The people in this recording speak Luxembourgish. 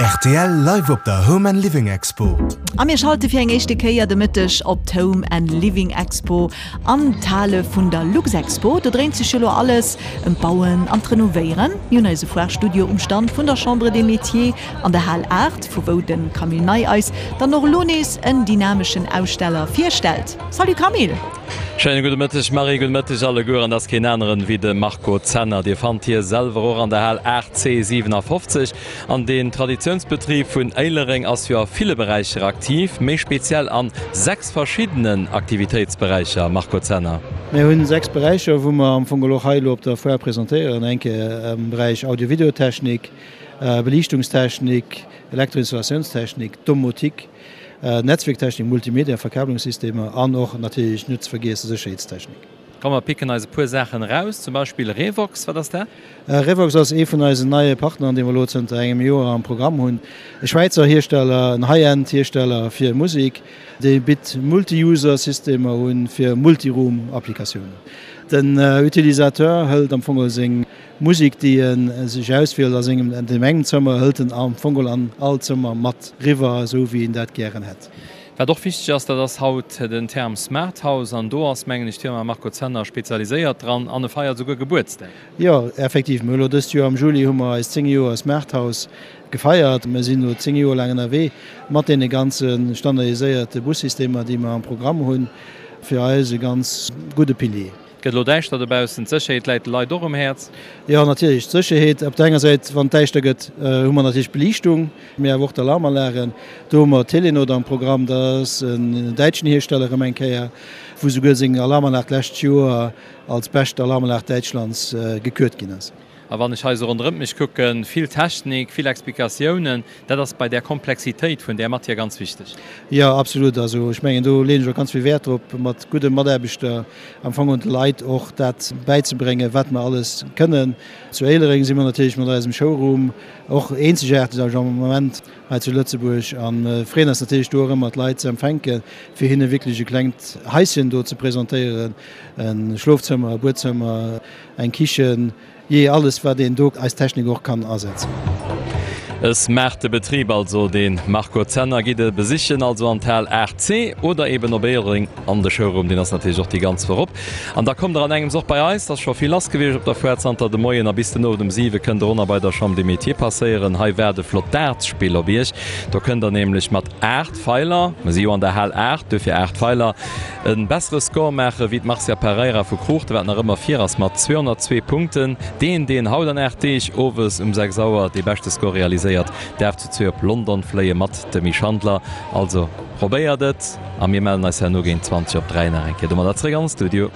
Rtl live op der Home and Living Expo. A mir schalte fir eng éischte Kéier de Mëtteg op d'Home and Living Expo an d'Hale vun der Luxexpo. Do dréint sech jo lo alles ëm d'Bauen an d'Renovéieren. Mir hunn eise Foire-Studio um Stand vun der Chambre des Métiers an der Hal 8, vu wou de Camille Ney eis dann och elo nees en dynameschen Aussteller virstellt. Salut Camille! Schéine gudde Mëtteg Marie, gudde Mëtteg alleguer. An et ass keen aneren wéi de Marco Zenner. Dir fannt hie selwer och an der Hal 8C 57. An deen Traditiounsbetrib vun Éilereng ass jo a ville Beräicher aktiv, méi speziell an 6 verschiddenen Aktivitéitsberäicher. Marco Zenner. Mir hunn 6 Beräicher, wou mer am Fong elo och hei elo op der Foire presentéieren. Eng Kéier am Beräich Audio-Video-Technik, Beliichtungstechnik, Elektroinstallationstechnik, Domotik, Netzwierktechnik, Multimedia, Verkabelungssystemer an och natierlech net ze vergiessen Sécherheetstechnik. Komm mer picken eis e puer Saachen eraus, zum Beispill Revox. Wat ass dat? Revox ass ee vun eisen neie Partneren, dee mer elo zënter engem Joer am Programm hunn. E Schwäizer Hiersteller, en High-End-Hiersteller fir Musek, dee bitt Multi-User-Systemer un fir Multiroom-Applikatiounen. Den Utilisateur hëlt am Fong seng Musek, déi e sech auswielt a sengem, an deem engem Zëmmer, hëlt en am Fong geholl an all Zëmmer mat riwwer, esou wéi en dat gären hätt. Wat och wichteg ass, dat ass haut den Term Smart House an do ass, mengen ech, d'Firma Marco Zenner spezialiséiert dran an e feiert esouguer Gebuertsdag. Jo, effektiv, mir hu elo dëst Joer am Juli hu mer eist 10 Joer Smart House gefeiert. Mir sinn elo 10 Joer laang ënnerwee mat deene ganze standardiséierte Bussystemer, déi mer am Programm hunn. Fir eis e ganz gudde Pilier. Et gëtt elo däischter dobaussen. D'Sécherheet läit de Leit och um Häerz. Jo, natierlech, d'Sécherheet. Op der enger Säit, wann et däischter gëtt, hu mer natierlech d'Beliichtung, mee awer och d'Alarmanlagen. Do hu mer Telenot am Programm, dat ass en däitschen Hiersteller erëm eng Kéier, wou souguer seng Alarmanlag d'lescht Joer als bescht Alarmanlag Däitschlands gekürt ginn ass. A wann ech hei esou ronderëmt mech kucken, vill Technik, vill Explikatiounen, dat ass bei där Komplexitéit vun där Matière ganz wichteg. Jo, absolut. Also ech mengen, do leeën ech och ganz vill Wäert drop, mat gudde Mataarbechter am Fong un de Leit och dat bäizebréngen, wat mer alles kënnen. Zu Éilereng si mer natierlech mat eisem Showroom och eenzegaarteg am Moment hei zu Lëtzebuerg a freeën eis natierlech do och ëmmer d'Leit ze empfänken, fir hinne wierklech e klengt Haischen do ze presentéieren, e Schlofzëmmer, e Buedzëmmer, Eng Kichen, jee alles wat een do eis Technik och kann asetzen. E smarte Betrib also, dee Marco Zenner. Gitt e besichen also an d'Hal 8C oder eben op Éilereng an de Showroom, deen ass natierlech och déi ganz Woch op. An da kommt der an engems och bei eis, et ass scho vill lass gewiescht op der Foire zanter de Moien a bis den Owend um 7 kënnt der och nach bei der Chambre des Métiers passéieren. Hei waart e flott Dartsspill op iech, do kënnt der nämlech mat 8 Feiler, mer si jo an der Hal 8, duerfir 8 Feiler, E bessere Score maache wéi d'Marcia Pereira vu Kruuchten, wat nach ëmmer vir ass mat 202 Punkten. Deen, deen haut an 8 Deeg owes um 6 Auer dee beschte Score realiséiert, däerf zu zwee op London fléie mat dem Misch Handler. Also probéiert et a mir mellen eis herno géint 20 op 3 nach eng Kéier domadder zréck an de Studio.